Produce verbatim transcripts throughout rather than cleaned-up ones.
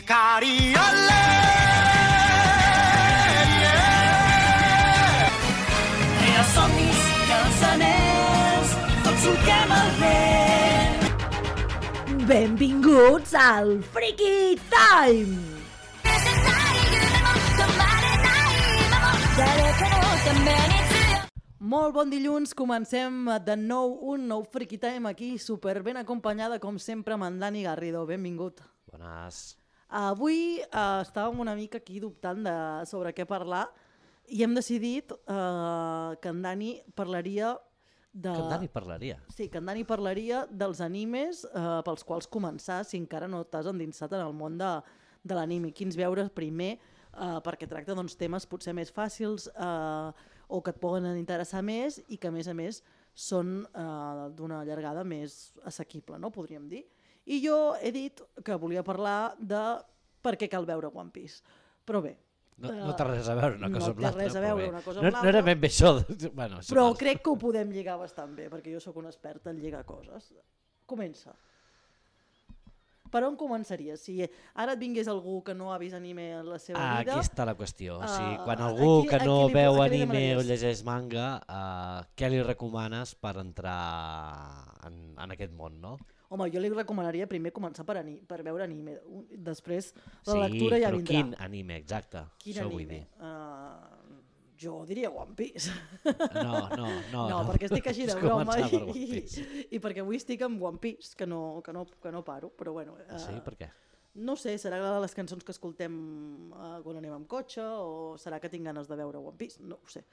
Cariole, yeah. Tria somnis, cançoners, tots solquem el vent. Benvinguts al Freaky Time! Molt bon dilluns, comencem de nou un nou Freaky Time aquí, super ben acompanyada com sempre amb en Dani Garrido, benvingut. Bones. Avui uh, estàvem una mica aquí dubtant de, sobre què parlar i hem decidit uh, que en Dani parlaria de... Que en Dani parlaria? Sí, que en Dani parlaria dels animes uh, pels quals començar si encara no t'has endinsat en el món de, de l'anime. Quins veure primer, uh, perquè tracta doncs, temes potser més fàcils uh, o que et poden interessar més i que a més a més són uh, d'una llargada més assequible, no? Podríem dir. I jo he dit que volia parlar de per què cal veure One Piece. Però bé... No, no té res a veure una cosa no amb l'altra. No té res a veure una cosa amb no, l'altra. No era ben bé això. Bueno, però val. crec que ho podem lligar bastant bé, perquè jo sóc un expert en lligar coses. Comença. Per on començaries? Si ara et vingués algú que no ha vist anime en la seva ah, vida... Aquí està la qüestió. O sigui, Uh, quan algú aquí, que no li, veu anime demanaries? o llegeix manga, uh, què li recomanes per entrar en, en aquest món, no? Home, jo li recomanaria primer començar per, ani per veure anime. Després la sí, lectura ja però vindrà. quin anime, exacte. Quin això anime? Vull dir. Uh, jo diria One Piece. No, no, no. No, perquè estic així de És broma començar per i, One Piece. i, i perquè avui estic amb One Piece, que no, que no, que no paro, però bueno... Uh, Sí, per què? No sé, serà de les cançons que escoltem uh, quan anem amb cotxe o serà que tinc ganes de veure One Piece, no ho sé.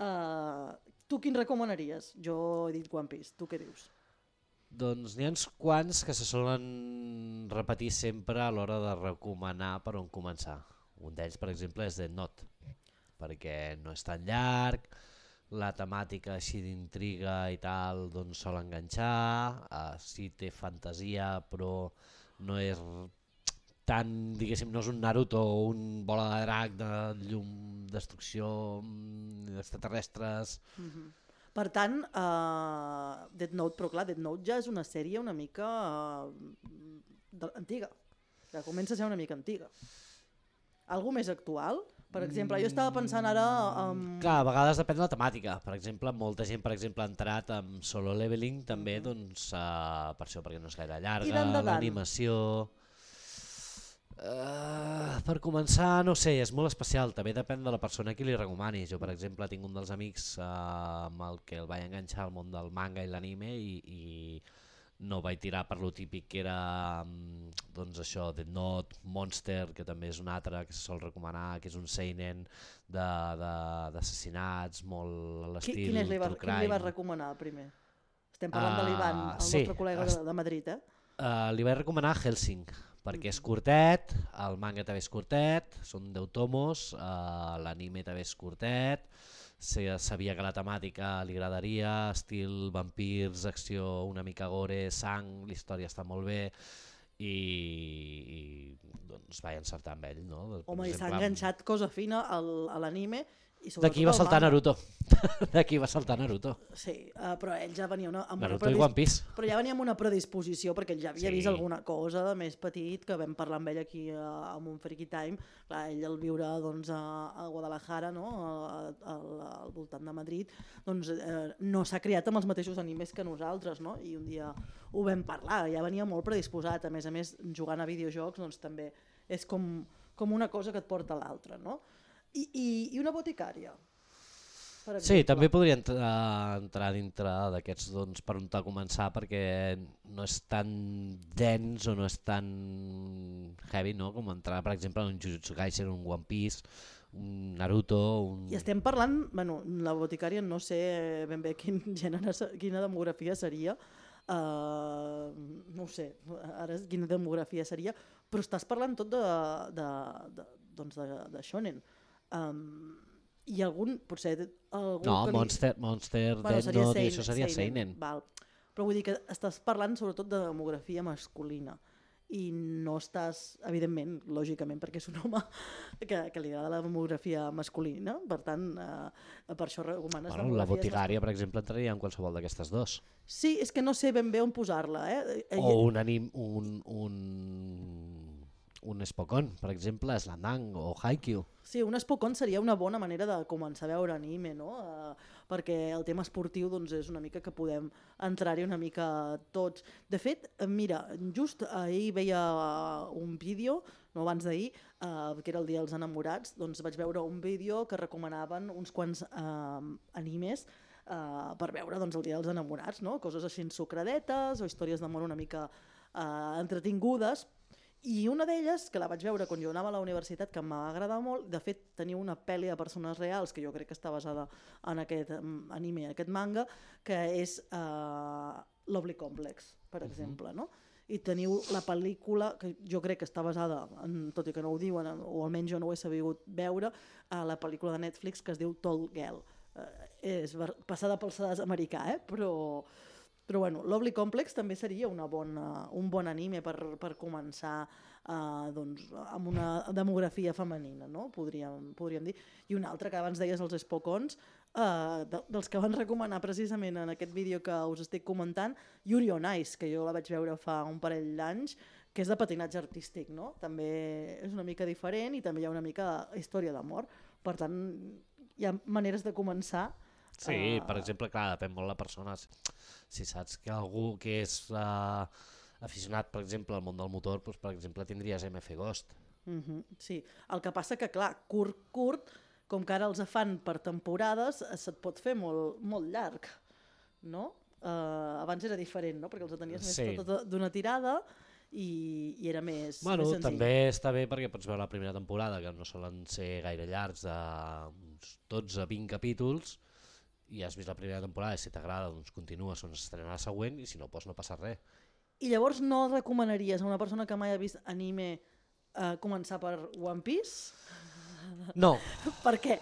Uh, tu quin recomanaries? Jo he dit One Piece, tu què dius? Doncs n'hi ha uns quants que se solen repetir sempre a l'hora de recomanar per on començar. Un d'ells, per exemple, és Death Note, perquè no és tan llarg, la temàtica així d'intriga i tal doncs sol enganxar, uh, sí té fantasia però no és tan, diguéssim, no és un Naruto o un bola de drac de llum, destrucció, extraterrestres... Mm-hmm. Per tant, uh, Death Note, però clar, Death Note ja és una sèrie una mica uh, de, antiga, que comença a ser una mica antiga. Algú més actual? Per exemple, jo estava pensant ara... Um... Clar, a vegades depèn de la temàtica. Per exemple, molta gent per exemple, ha entrat amb Solo Leveling també, mm-hmm. doncs, uh, per això, perquè no és gaire llarga, l'animació... Uh, per començar, no sé, és molt especial, també depèn de la persona a qui li recomanis. Jo, per exemple, tinc un dels amics uh, amb el que el vaig enganxar al món del manga i l'anime i, i no vaig tirar per lo típic que era um, doncs això, Death Note, Monster, que també és un altre que se sol recomanar, que és un seinen d'assassinats, molt a l'estil Quin, quin, va, quin li vas recomanar primer? Estem parlant uh, de l'Ivan, el sí, nostre col·lega de, de Madrid, eh? Uh, li vaig recomanar Hellsing, perquè és curtet, el manga també és curtet, són deu tomos, uh, l'anime també és curtet, sabia que la temàtica li agradaria, estil vampirs, acció una mica gore, sang, la història està molt bé i, i doncs vaig encertar amb ell. No? Home, i s'ha enganxat cosa fina al, a l'anime. D'aquí va saltar Naruto. D'aquí va saltar Naruto. Sí, uh, però ell ja venia una, amb Naruto una i One Piece. Però ja venia amb una predisposició perquè ell ja havia sí. vist alguna cosa de més petit que vam parlar amb ell aquí uh, amb un Freaky Time. Clar, ell al viure doncs, a, a Guadalajara, no? al, al, al voltant de Madrid, doncs, eh, no s'ha criat amb els mateixos animes que nosaltres, no? I un dia ho vam parlar, ja venia molt predisposat, a més a més jugant a videojocs doncs, també és com, com una cosa que et porta a l'altra, no? I, i, i una boticària. Sí, també podria entrar, entrar dintre d'aquests doncs, per on t'ha començar perquè no és tan dens o no és tan heavy, no? Com entrar per exemple en un Jujutsu Kaisen, un One Piece, un Naruto... Un... I estem parlant, bueno, la boticària no sé ben bé quin gènere, quina demografia seria, uh, no ho sé, ara quina demografia seria, però estàs parlant tot de, de, de, doncs de, de shonen. Um, i algun, potser algú no, que Monster, li... Monster bueno, Death Note i això seria Seinen, val. Però vull dir que estàs parlant sobretot de demografia masculina i no estàs, evidentment, lògicament, perquè és un home que, que li agrada la demografia masculina, per tant, eh, per això recomanes bueno, la boticària, per exemple, entraria en qualsevol d'aquestes dos. Sí, és que no sé ben bé on posar-la. Eh? O un anim, un, un, un Spokon, per exemple, Slandang o Haikyuu. Sí, un Spokon seria una bona manera de començar a veure anime, no? Uh, perquè el tema esportiu doncs, és una mica que podem entrar-hi una mica tots. De fet, mira, just ahir veia un vídeo, no abans d'ahir, uh, que era el Dia dels Enamorats, doncs vaig veure un vídeo que recomanaven uns quants uh, animes uh, per veure doncs, el Dia dels Enamorats, no? Coses així ensucradetes o històries d'amor una mica uh, entretingudes. I una d'elles, que la vaig veure quan jo anava a la universitat, que m'ha agradat molt, de fet tenia una pel·li de persones reals, que jo crec que està basada en aquest anime, en aquest manga, que és uh, Lovely Complex, per uh-huh. exemple, no? I teniu la pel·lícula, que jo crec que està basada, en, tot i que no ho diuen, o almenys jo no ho he sabut veure, uh, la pel·lícula de Netflix que es diu Tall Girl. Uh, és passada pel sedàs americà, eh? però... Però bueno, Lovely Complex també seria una bona, un bon anime per, per començar uh, doncs, amb una demografia femenina, no? podríem, podríem dir. I un altre que abans deies els Spokons, uh, de, dels que van recomanar precisament en aquest vídeo que us estic comentant, Yuri on Ice, que jo la vaig veure fa un parell d'anys, que és de patinatge artístic, no? També és una mica diferent i també hi ha una mica història d'amor. Per tant, hi ha maneres de començar. Sí, uh... per exemple, clar, depèn molt de la persona. Si saps que algú que és uh, aficionat, per exemple, al món del motor, doncs, per exemple, tindries M F Ghost. Uh-huh, sí, el que passa que, clar, curt, curt, com que ara els fan per temporades, se't pot fer molt, molt llarg, no? Uh, abans era diferent, no? Perquè els tenies sí. més tot d'una tirada i, i era més, bueno, més senzill. També està bé perquè pots veure la primera temporada, que no solen ser gaire llargs, de dotze a vint capítols, i has vist la primera temporada i si t'agrada doncs continues on s'estrenarà la següent i si no, doncs no passa res. I llavors no recomanaries a una persona que mai ha vist anime eh, començar per One Piece? No. Per què?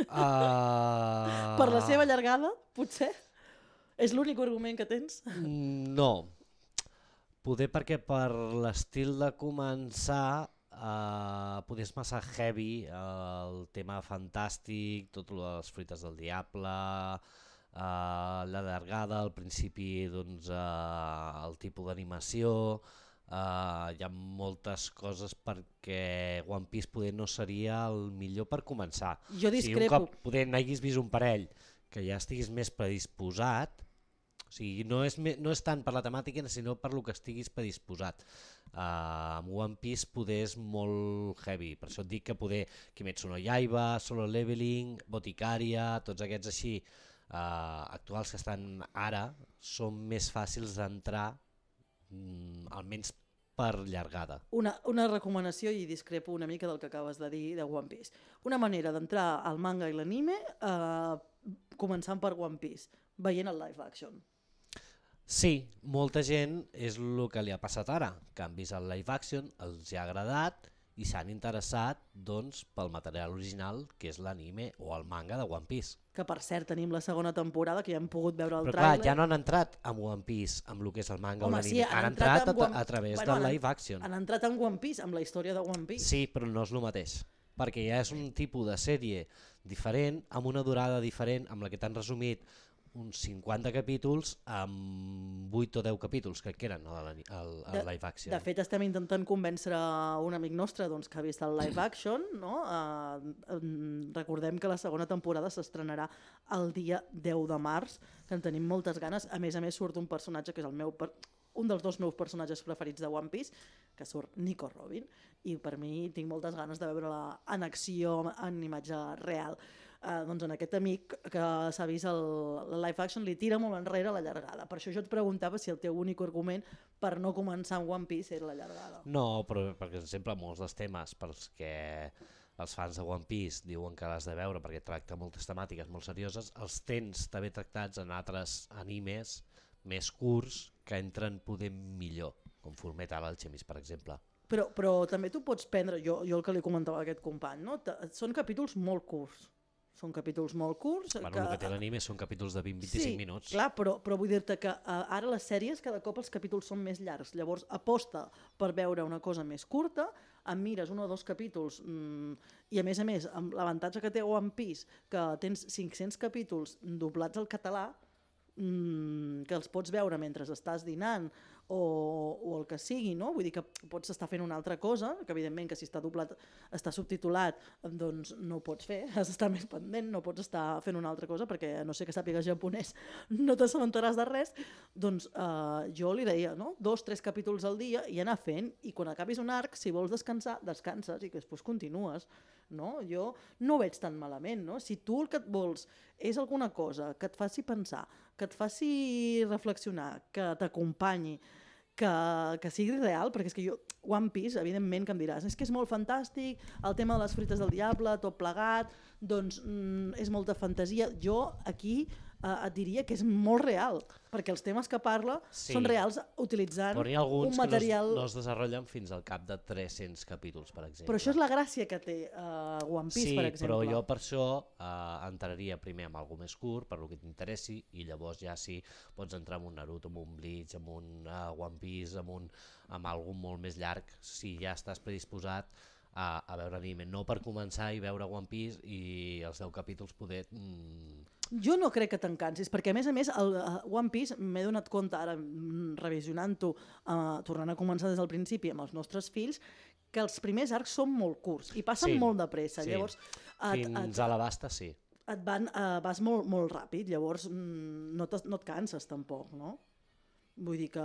Uh... Per la seva llargada, potser? És l'únic argument que tens? No. Poder perquè per l'estil de començar Uh, potser és massa heavy, uh, el tema fantàstic, tot les fruites del diable, uh, la llargada, al principi doncs, uh, el tipus d'animació, uh, hi ha moltes coses perquè One Piece poder no seria el millor per començar. Jo discrepo. Si un cop poder n'haguis vist un parell que ja estiguis més predisposat, o sigui, no és, no és tant per la temàtica sinó per lo que estiguis predisposat. Uh, amb One Piece poder és molt heavy, per això et dic que poder Kimetsu no Yaiba, Solo Leveling, Boticaria, tots aquests així uh, actuals que estan ara són més fàcils d'entrar, mm, almenys per llargada. Una, una recomanació, i discrepo una mica del que acabes de dir de One Piece. Una manera d'entrar al manga i l'anime uh, començant per One Piece, veient el live action. Sí, molta gent és el que li ha passat ara, que han vist el live action, els ha agradat i s'han interessat doncs, pel material original que és l'anime o el manga de One Piece. Que per cert tenim la segona temporada que ja hem pogut veure el Però tràiler. Però clar, ja no han entrat amb One Piece, amb el que és el manga Home, o l'anime, sí, han, han entrat, entrat a, One... a través bueno, del han, live action. Han entrat en One Piece, amb la història de One Piece. Sí, però no és el mateix, perquè ja és un tipus de sèrie diferent, amb una durada diferent, amb la que t'han resumit uns cinquanta capítols amb vuit o deu capítols que eren el, el, el live action. De, de fet estem intentant convèncer un amic nostre doncs, que ha vist el live action, no? uh, recordem que la segona temporada s'estrenarà el dia deu de març, que en tenim moltes ganes. A més a més surt un personatge que és el meu per... un dels dos meus personatges preferits de One Piece, que surt Nico Robin, i per mi tinc moltes ganes de veure-la en acció, en imatge real. Uh, doncs en aquest amic que s'ha vist el, el live action li tira molt enrere la llargada. Per això jo et preguntava si el teu únic argument per no començar amb One Piece era la llargada. No, però per exemple molts dels temes pels que els fans de One Piece diuen que l'has de veure perquè tracta moltes temàtiques molt serioses, els tens també tractats en altres animes més curts que entren poder millor, com Fullmetal Alchemist, per exemple. Però, però també tu pots prendre, jo, jo el que li comentava a aquest company, no? Són capítols molt curts. Són capítols molt curts. Bueno, que... el que té l'anime són capítols de vint a vint-i-cinc sí, minuts. Sí, clar, però, però vull dir-te que uh, ara les sèries cada cop els capítols són més llargs. Llavors aposta per veure una cosa més curta, em mires un o dos capítols mmm, i a més a més, amb l'avantatge que té One Piece, que tens cinc-cents capítols doblats al català, mmm, que els pots veure mentre estàs dinant o, o el que sigui, no? Vull dir que pots estar fent una altra cosa, que evidentment que si està doblat, està subtitulat, doncs no ho pots fer, has d'estar més pendent, no pots estar fent una altra cosa perquè a no sé que sàpigues japonès no t'assabentaràs de res. Doncs eh, jo li deia, no? Dos, tres capítols al dia i anar fent, i quan acabis un arc, si vols descansar, descanses i que després continues. No? Jo no ho veig tan malament, no? Si tu el que et vols és alguna cosa que et faci pensar, que et faci reflexionar, que t'acompanyi, que, que sigui real, perquè és que jo, One Piece, evidentment que em diràs, és que és molt fantàstic, el tema de les fruites del diable, tot plegat, doncs mm, és molta fantasia. Jo aquí eh, et diria que és molt real, perquè els temes que parla Sí. són reals utilitzant Però hi ha alguns un material... que no es, no es desenvolupen fins al cap de tres-cents capítols, per exemple. Però això és la gràcia que té uh, One Piece, sí, per exemple. però jo per això eh, entraria primer amb algo més curt, per lo que t'interessi, i llavors ja sí pots entrar en un Naruto, en un Bleach, en un uh, One Piece, en, un, en algo molt més llarg, si ja estàs predisposat a, a veure anime. No per començar i veure One Piece i els deu capítols poder... Mm, Jo no crec que te'n cansis, perquè a més a més el uh, One Piece m'he donat compte ara mm, revisionant-ho, uh, tornant a començar des del principi amb els nostres fills, que els primers arcs són molt curts i passen Sí, molt de pressa. sí. Llavors, et, fins et, a la basta, sí. et van, uh, vas molt, molt ràpid, llavors mm, no, no et canses tampoc, no? Vull dir que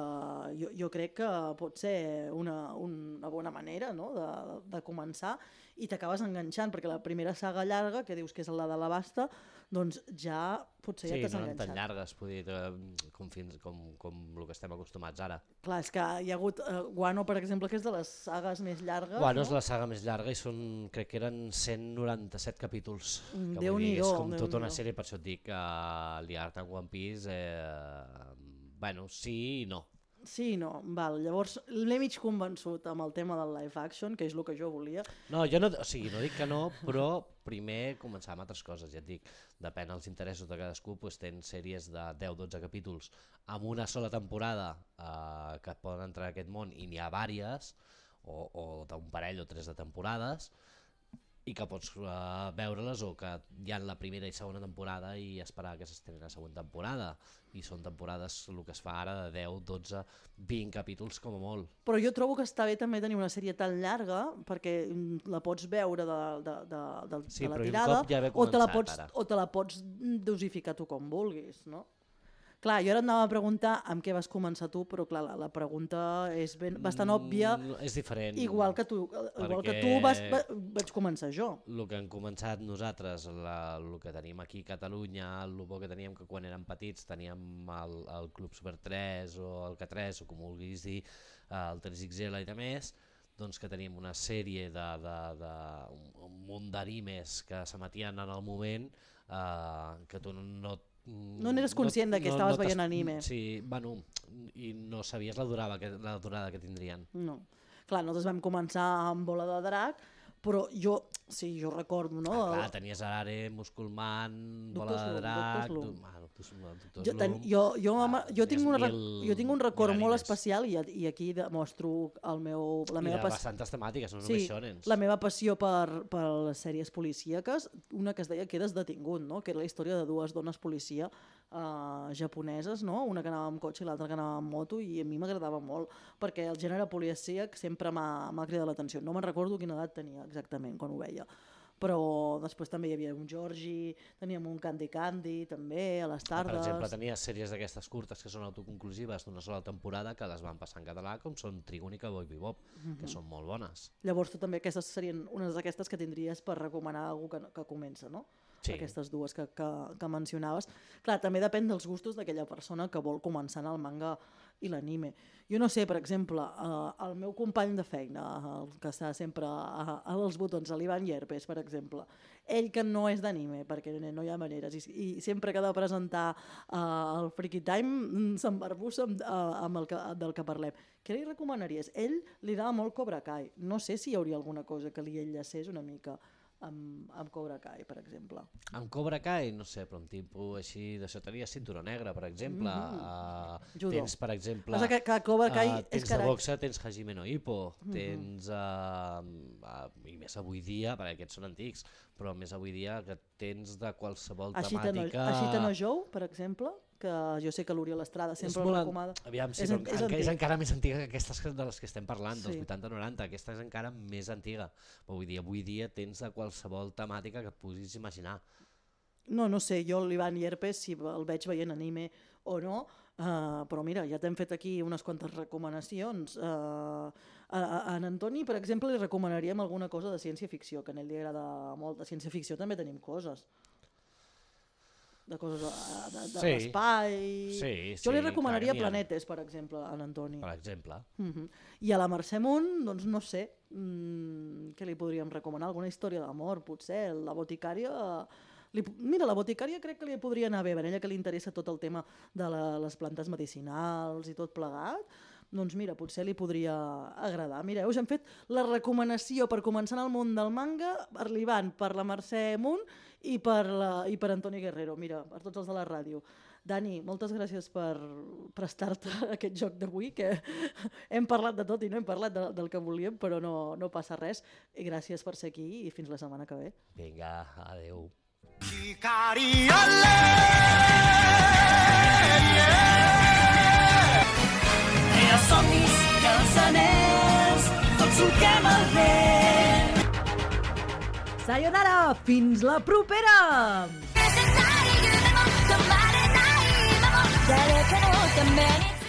jo, jo crec que pot ser una, una bona manera, no? de, de començar, i t'acabes enganxant, perquè la primera saga llarga, que dius que és la de la Basta, doncs ja potser Sí, ja t'has no eren enganxat. tan llargues, vull dir, eh, com, fins, com, com el que estem acostumats ara. Clar, és que hi ha hagut uh, Wano, per exemple, que és de les sagues més llargues. Bueno, no? és la saga més llarga i són, crec que eren cent noranta-set capítols. Mm, Que vull dir, Déu-n'hi-do, és com tota una Déu-n'hi-do. sèrie, per això et dic que uh, Liart en One Piece, eh, bueno, sí i no. Sí, no, val. Llavors l'he mig convençut amb el tema del live action, que és el que jo volia. No, jo no, o sigui, no dic que no, però primer començar amb altres coses, ja et dic, depèn dels interessos de cadascú, doncs tens sèries de deu dotze capítols amb una sola temporada eh, que poden entrar en aquest món i n'hi ha vàries, o, o d'un parell o tres de temporades, i que pots uh, veure-les o que hi ha la primera i segona temporada i esperar que s'estreni la següent temporada, i són temporades, el que es fa ara, de deu, dotze, vint capítols com a molt. Però jo trobo que està bé també tenir una sèrie tan llarga, perquè mm, la pots veure de, de, de, de, Sí, de la però un tirada, cop ja haver o, te la començat, pots, ara. o te la pots dosificar tu com vulguis, no? Clar, jo ara et anava a preguntar amb què vas començar tu, però clar, la, la pregunta és ben, bastant òbvia, Mm, és diferent. igual que tu, igual que perquè tu vas, va, vaig començar jo. El que hem començat nosaltres, la, el que tenim aquí a Catalunya, el bo que teníem que quan érem petits teníem el, el Club Super tres o el K tres o com vulguis dir, el tres X L i de més, doncs que teníem una sèrie de, de, de un, un munt d'animes que s'emetien en el moment eh, que tu no No n'eres conscient de que estaves veient t'has- anime. Sí, bueno, i no sabies la durada que, la durada que tindrien. No. Clar, nosaltres vam començar amb Bola de Drac, però jo, sí, jo recordo, no? Ah, clar, tenies Arare, Musculman, Bola Doctor de Slump, Drac... Doctor du- Slump. ah, Doctor Slump, Doctor Jo, ten, Slump. jo, jo, Ah, jo, tinc tenies una, mil- jo tinc un record mil molt animes. especial i, i aquí demostro el meu, la I meva de passió. bastantes temàtiques, no Sí, només shonens. la meva passió per, per les sèries policíaques, una que es deia Quedes detingut, no? Que era la història de dues dones policia uh, japoneses, no? Una que anava amb cotxe i l'altra que anava amb moto, i a mi m'agradava molt, perquè el gènere policíac sempre m'ha m'ha cridat l'atenció. No me'n recordo quina edat tenia exactament quan ho veia, però després també hi havia un Georgie, teníem un Candy Candy també a les tardes. Per exemple, tenies sèries d'aquestes curtes que són autoconclusives d'una sola temporada que les van passar en català, com són Trigun i Cowboy Bebop, Mhm. que són molt bones. Llavors tu també aquestes serien unes d'aquestes que tindries per recomanar a algú que, que comença, no? Sí. Aquestes dues que, que, que mencionaves. Clar, també depèn dels gustos d'aquella persona que vol començar en el manga i l'anime. Jo no sé, per exemple, eh, el meu company de feina, el que està sempre a, a els botons, l'Ivan Llerpes, per exemple, ell que no és d'anime, perquè no hi ha maneres, i, i sempre que ha de presentar uh, el Freaky Time mm, s'embarbussa amb, uh, amb el que, del que parlem. Què li recomanaries? Ell li agrada molt Cobra Kai. No sé si hi hauria alguna cosa que li enllacés una mica amb, amb Cobra Kai, per exemple. Amb Cobra Kai, no sé, però un tipus així de tenia cinturó negre, per exemple. Mhm. Uh, Judo. tens, per exemple... Passa que, que Cobra Kai uh, és tens cara... de boxa, tens Hajime no Ippo, tens... Uh, i més avui dia, perquè aquests són antics, però més avui dia que tens de qualsevol Agita no, temàtica... Agita no Jou, per exemple, que jo sé que l'Oriol Estrada sempre el recomana. Aviam, sí, és, és, és, és, és encara més antiga que aquestes de les que estem parlant, Sí. dels vuitanta noranta, aquesta és encara més antiga. Però vull dir, avui dia tens de qualsevol temàtica que et puguis imaginar. No, no sé, jo l'Ivan Llerpes, si el veig veient anime o no, uh, però mira, ja t'hem fet aquí unes quantes recomanacions. Uh, a, a en Antoni, per exemple, li recomanaríem alguna cosa de ciència-ficció, que a ell li agrada molt. De ciència-ficció també tenim coses. De coses de, de, de Sí. l'espai... Sí, Jo li sí, recomanaria clar que n'hi ha. Planetes, per exemple, a en Antoni. Per exemple. Uh -huh. I a la Mercè Munt, doncs no sé, mm, què li podríem recomanar? Alguna història d'amor, potser? La boticària... Li, mira, la boticària crec que li podria anar bé, a ella que li interessa tot el tema de la, les plantes medicinals i tot plegat, doncs mira, potser li podria agradar. Mireu, us hem fet la recomanació per començar en el món del manga per l'Ivan, per la Mercè Munt i per, la, i per Antoni Guerrero, mira, per tots els de la ràdio. Dani, moltes gràcies per prestar-te a aquest joc d'avui, que hem parlat de tot i no hem parlat de, del que volíem, però no, no passa res. I gràcies per ser aquí i fins la setmana que ve. Vinga, adeu. Rere els somnis i els anells, tots solquem el vent. Sayonara, fins la propera! 誰かのために